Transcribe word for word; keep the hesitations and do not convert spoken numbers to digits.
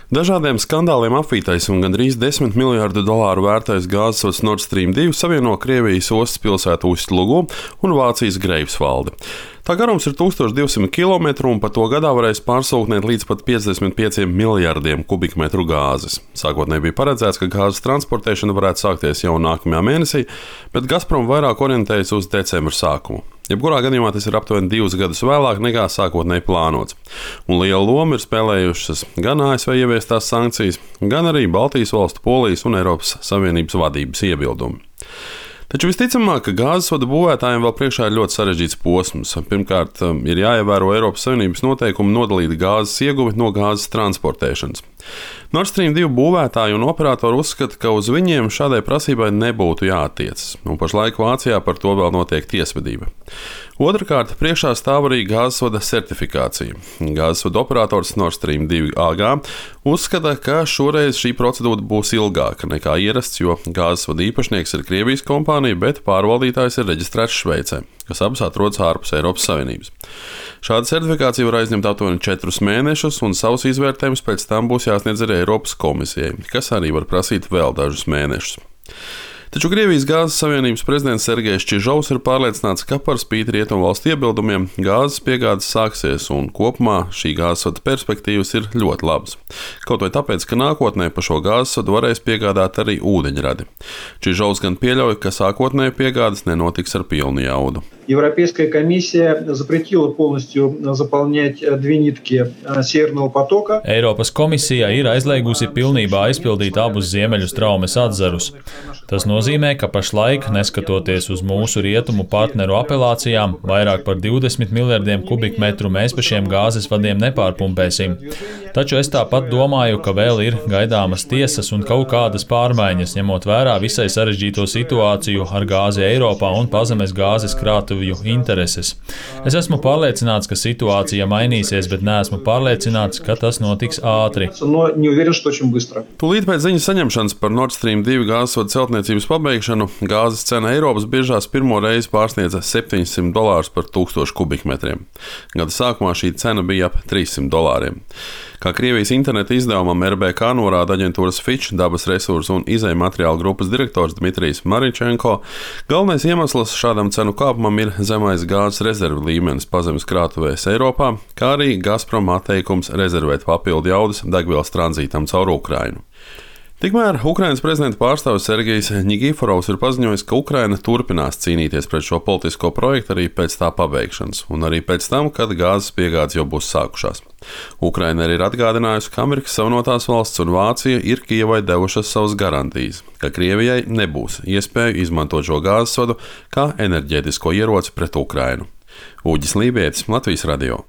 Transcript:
Dažādiem skandāliem apvītais un gandrīz desmit miljārdu dolāru vērtais gāzes Nord Stream divi savieno Krievijas ostas pilsētu Ust-Lugu un Vācijas Greifsvaldi. Tā garums ir tūkstoš divsimt kilometru un pa to gadā varēs pārsūknēt līdz pat piecdesmit pieciem miljardiem kubikmetru gāzes. Sākotnēji bija paredzēts, ka gāzes transportēšana varētu sākties jau nākamajā mēnesī, bet Gazprom vairāk orientējas uz decembra sākumu. Jebkurā gadījumā tas ir aptuveni divus gadus vēlāk nekā sākotnēji plānots. Un lielu lomu ir spēlējušas gan A S V ieviestās sankcijas, gan arī Baltijas valstu, Polijas un Eiropas Savienības vadības iebildumi. Taču visticamāk, ka gāzes vadu būvētājiem vēl priekšā ir ļoti sarežģīts posms. Pirmkārt, ir jāievēro Eiropas Savienības noteikumi nodalīt gāzes ieguvi no gāzes transportēšanas. Nord Stream divi būvētāji un operatori uzskata, ka uz viņiem šādai prasībai nebūtu jāattiecas, un pašlaik Vācijā par to vēl notiek tiesvedība. Otrakārt, priekšā stāv arī gāzes vada certifikācija. Gāzes vada operators Nord Stream divi A G uzskata, ka šoreiz šī procedūra būs ilgāka nekā ierasts, jo gāzes vada īpašnieks ir Krievijas kompānija, bet pārvaldītājs ir reģistrēts Šveicē, kas abas atrodas ārpus Eiropas Savienības. Šāda certifikācija var aizņemt aptuveni četrus mēnešus, un savus izvērtējumus pēc tam būs jāsniedz arī Eiropas komisijai, kas arī var prasīt vēl dažus mēnešus. Taču Krievijas gāzes savienības prezidents Sergejs Čižovs ir pārliecināts, ka par spīti rietumvalstu iebildumiem gāzes piegādes sāksies, un kopumā šī gāzes vada perspektīvas ir ļoti labas. Kaut vai tāpēc, ka nākotnē pa šo gāzes vadu varēs piegādāt arī ūdeņradi. Čižovs gan pieļauj, ka sākotnēji piegādes nenotiks ar pilnu jaudu. Европейская комиссия запретила полностью заполнять две нитки Северного потока. Eiropas komisija ir aizliegusi pilnībā aizpildīt abus ziemeļu straumes atzarus. Tas nozīmē, ka pašlaik, neskatoties uz mūsu rietumu partneru apelācijām, vairāk par divdesmit miljardiem kubikmetru mēs pa šiem gāzes vadiem nepārpumpēsim. Taču es tāpat domāju, ka vēl ir gaidāmas tiesas un kaut kādas pārmaiņas, ņemot vērā visai sarežģīto situāciju ar gāzi Eiropā un pazemes gāzes krātuvju intereses. Es esmu pārliecināts, ka situācija mainīsies, bet neesmu pārliecināts, ka tas notiks ātri. Tūlīt pēc ziņas saņemšanas par Nord Stream divi gāzes vadu celtniecības pabeigšanu gāzes cena Eiropas biržās pirmo reizi pārsniedza septiņsimt dolārus par tūkstošu kubikmetriem. Gada sākumā šī cena bija ap trīssimt dolāriem. Kā Krievijas interneta izdevumam R B K norāda aģentūras Fitch dabas resursu un izejmateriālu grupas direktors Dmitrijs Maričenko, galvenais iemesls šādam cenu kāpumam ir zemais gāzes rezervu līmenis pazemes krātuvēs Eiropā, kā arī Gazprom atteikums rezervēt papildu jaudas degvielas tranzītam caur Ukrainu. Tikmēr Ukrainas prezidenta pārstāvis Sergejs Nigiforovs ir paziņojis, ka Ukraina turpinās cīnīties pret šo politisko projektu arī pēc tā pabeigšanas, un arī pēc tam, kad gāzes piegādes jau būs sākušās. Ukraina arī ir atgādinājusi, ka Amerikas Savienotās valsts un Vācija ir Kijevai devušas savas garantijas, ka Krievijai nebūs iespēju izmantot šo gāzes vadu kā enerģētisko ieroci pret Ukrainu. Uģis Lībietis, Latvijas radio.